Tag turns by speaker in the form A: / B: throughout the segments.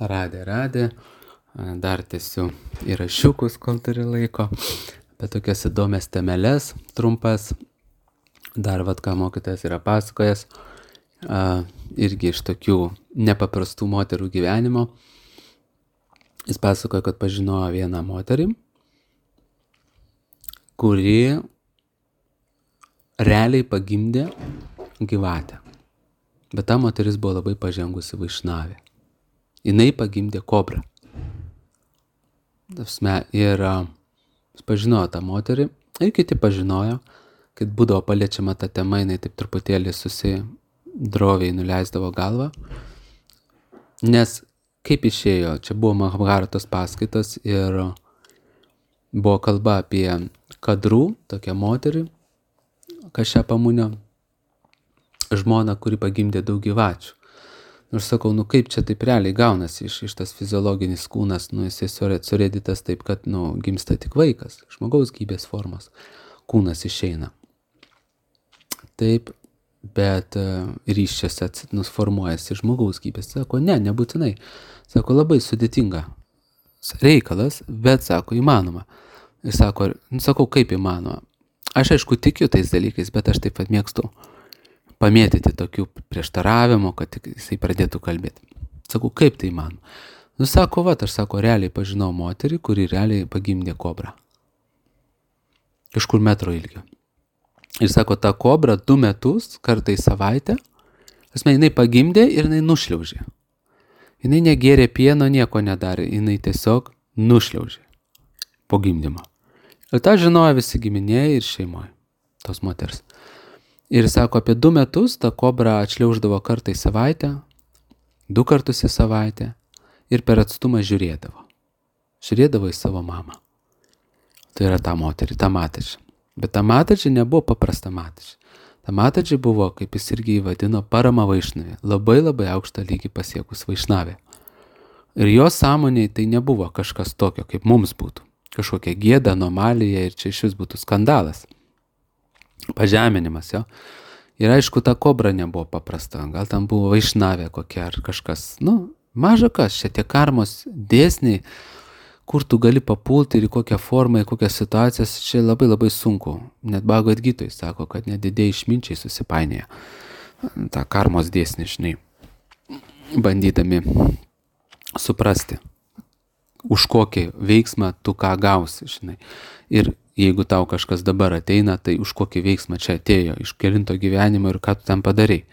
A: Radė. Dar tęsiu įrašiukus, kol turi laiko. Apie tokias įdomias temeles, trumpas. Dar ką mokytojas yra pasakojęs. Irgi iš tokių nepaprastų moterų gyvenimo. Jis pasakoja, kad pažinojo vieną moterį, kuri realiai pagimdė gyvatę. Bet ta moteris buvo labai pažengusi vaišnavė. Jinai pagimdė kobrą. Ir pažinojo tą moterį, ir kiti pažinojo, kad būdavo paliečiama ta tema, jinai taip truputėlį susidroviai nuleisdavo galvą. Nes kaip išėjo, čia buvo Mahabharatos paskaitos ir buvo kalba apie Kadrų, tokią moterį, Kašyapamunio žmoną, kuri pagimdė daug gyvačių. Ir sakau, kaip čia taip realiai gaunasi iš tas fiziologinis kūnas, jisai surėdytas taip, kad gimsta tik vaikas, žmogaus gyvybės formos kūnas išeina. Taip, bet ryščiuose formuojasi žmogaus gyvybės. Sako, nebūtinai. Sako, labai sudėtinga reikalas, bet sako, įmanoma. Ir sakau, kaip įmanoma. Aš aišku tikiu tais dalykais, bet aš taip pat mėgstu pamėtyti tokių prieštaravimų, kad jisai pradėtų kalbėti. Sakau, kaip tai man? Sako, aš realiai pažinau moterį, kuri realiai pagimdė kobrą. Kažkur metro ilgio. Ir sako, ta kobra 2 metus, kartą į savaitę, jinai pagimdė ir jinai nušliaužė. Jinai negėrė pieno, nieko nedarė, jinai tiesiog nušliaužė po gimdymo. Ir tą žinojo visi giminėjai ir šeimoje tos moters. Ir sako, apie 2 metus ta kobra atšliauždavo kartą į savaitę, 2 kartus į savaitę ir per atstumą žiūrėdavo. Žiūrėdavo į savo mamą. Tai yra ta moterį, ta Mataji. Bet ta Mataji nebuvo paprasta Mataji. Ta Mataji buvo, kaip jis irgi įvadino, parama vaišnavė. Labai labai aukštą lygį pasiekus vaišnavė. Ir jos sąmonėje tai nebuvo kažkas tokio, kaip mums būtų. Kažkokia gėda, anomalija ir čia iš vis būtų skandalas. Pažeminimas, jo. Ir aišku, ta kobra nebuvo paprasta. Gal tam buvo vaišnavė kokia ar kažkas. Maža kas, čia tie karmos dėsniai, kur tu gali papulti ir į kokią formą, į kokias situacijas, čia labai labai sunku. Net Bhagavad Gitoj sako, kad net didieji išminčiai susipainėja. Ta karmos dėsnį, žinai, bandydami suprasti, už kokį veiksmą tu ką gausi, žinai. Ir jeigu tau kažkas dabar ateina, tai už kokį veiksmą čia atėjo, iš kelinto gyvenimo ir ką tu ten padarai.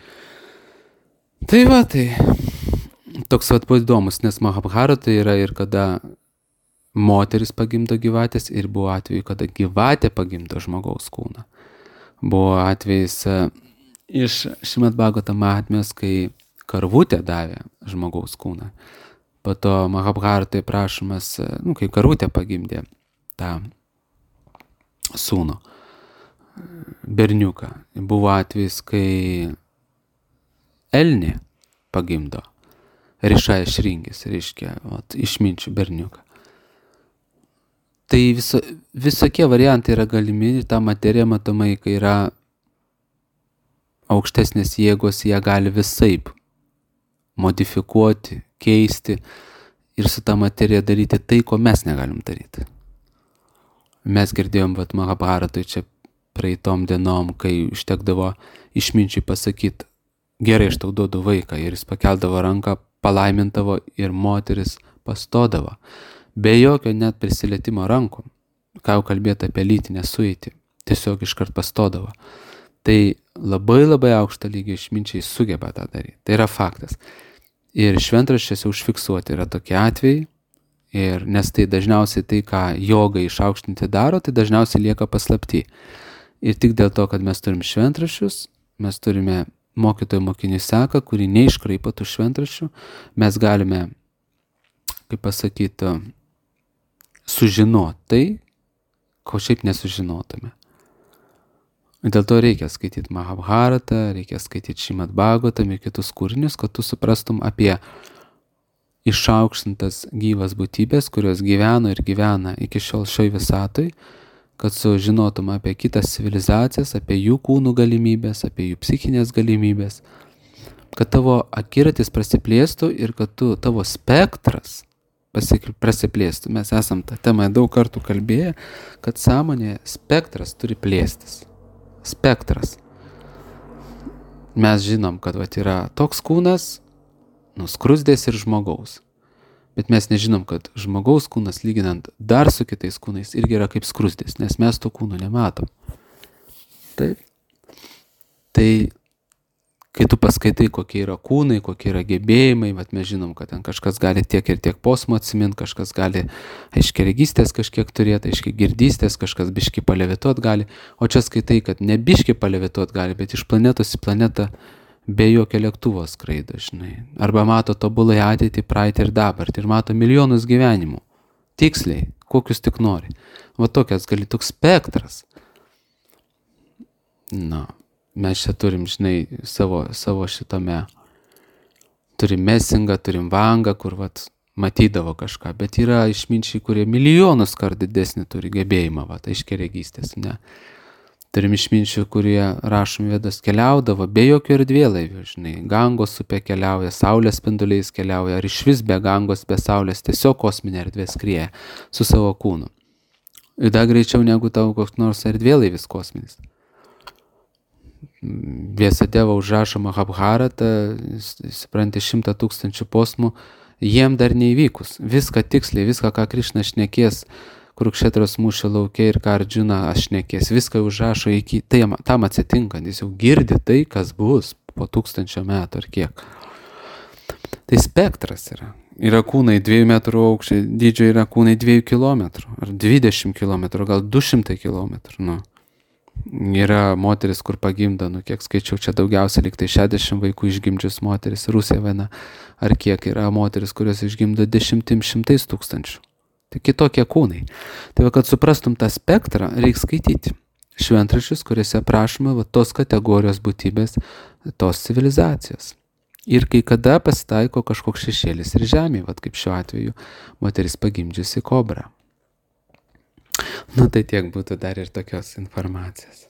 A: Tai toks buvo įdomus, nes Mahabharata yra ir kada moteris pagimdo gyvatės ir buvo atveju, kada gyvatė pagimdo žmogaus kūną. Buvo atvejis iš Šrimad Bhagavatam Mahatmės, kai karvutė davė žmogaus kūną. Po to Mahabharatai prašomas, kai karvutė pagimdė tą sūnų, berniuką. Buvo atvejis, kai elnė pagimdo Rišaja Šringis, reiškia, išminčių berniuką. Tai visokie variantai yra galimi, ta materija matomai, kai yra aukštesnės jėgos, jie gali visaip modifikuoti, keisti ir su ta materija daryti tai, ko mes negalim daryti. Mes girdėjom, Mahabharatoj čia praeitom dienom, kai užtekdavo išminčiai pasakyti, gerai, aš tau duodu vaiką, ir jis pakeldavo ranką, palaimintavo ir moteris pastodavo. Be jokio net prisilietimo rankų, ką jau kalbėti apie lytinę sueitį, tiesiog iškart pastodavo. Tai labai labai aukštą lygį išminčiai sugeba tą daryti. Tai yra faktas. Ir šventraščiuose užfiksuoti yra tokie atvejai. Ir nes tai dažniausiai tai, ką joga išaukštinti daro, tai dažniausiai lieka paslapty. Ir tik dėl to, kad mes turim šventraščius, mes turime mokytojų mokinių seką, kurį neiškraipo tų šventraščių, mes galime, kaip pasakyti, sužinoti tai, ko šiaip nesužinotume. Dėl to reikia skaityti Mahabharatą, reikia skaityti Šrimad Bhagavatam ir kitus kūrinius, kad tu suprastum apie išaukštintas gyvas būtybės, kurios gyveno ir gyvena iki šiol šioj visatoj, kad sužinotum apie kitas civilizacijas, apie jų kūnų galimybės, apie jų psichinės galimybės, kad tavo akiratis prasiplėstų ir kad tavo spektras prasiplėstų. Mes esam tą temą daug kartų kalbėję, kad sąmonėje spektras turi plėstis. Spektras. Mes žinom, kad yra toks kūnas, skruzdės ir žmogaus. Bet mes nežinom, kad žmogaus kūnas, lyginant dar su kitais kūnais, irgi yra kaip skruzdės, nes mes to kūno nematom. Taip. Tai kai tu paskaitai, kokie yra kūnai, kokie yra gebėjimai, mes žinom, kad ten kažkas gali tiek ir tiek posmų atsiminti, kažkas gali aiškiaregystės kažkiek turėti, aiškiagirdystės, kažkas biški palevituot gali, o čia skaitai, kad ne biški palevituot gali, bet iš planetos į planetą be jokio lėktuvo skraido, žinai. Arba mato tobulai ateitį, praeitį ir dabartį ir mato milijonus gyvenimų. Tiksliai, kokius tik nori. Va tokias gali, toks spektras. Mes čia turim, žinai, savo šitame, turim Mesingą, turim Vangą, kur matydavo kažką, bet yra išminčiai, kurie milijonus kart didesnį turi gebėjimą, aiškiaregystės, ne. Turim išminčių, kurie rašom Vedas keliaudavo be jokio erdvėlaivių, žinai, Gangos upė keliauja, saulės spinduliais keliauja, ar išvis be Gangos, be saulės, tiesiog kosminė erdvė skrieja su savo kūnu. Ir dar greičiau negu tavo koks nors erdvėlaivis kosminis. Vėsadeva užrašo Mahabharatą, supranti, 100 000 posmų, jiem dar neįvykus. Viską tiksliai, viską, ką Krišna šnekės, Kurukšetros mūšio lauke ir ką Ardžuna šnekės, viską užrašo iki, tam atsitinkant, jis jau girdi tai, kas bus po 1000 metų ar kiek. Tai spektras yra. Yra kūnai 2 metrų aukščio, dydžio yra kūnai 2 kilometrų, ar 20 kilometrų, gal 200 kilometrų, Yra moteris, kur pagimda, kiek skaičiau, čia daugiausia lyg tai 60 vaikų išgimdžius moteris, Rusija viena, ar kiek yra moteris, kurios išgimdo 10-100 tūkstančių. Tai kitokie kūnai. Tai kad suprastum tą spektrą, reikia skaityti šventraščius, kuriuose aprašoma tos kategorijos būtybės, tos civilizacijos. Ir kai kada pasitaiko kažkoks šešėlis ir žemė, kaip šiuo atveju moteris pagimdžiusi kobrą. Tai tiek būtų dar ir tokios informacijos.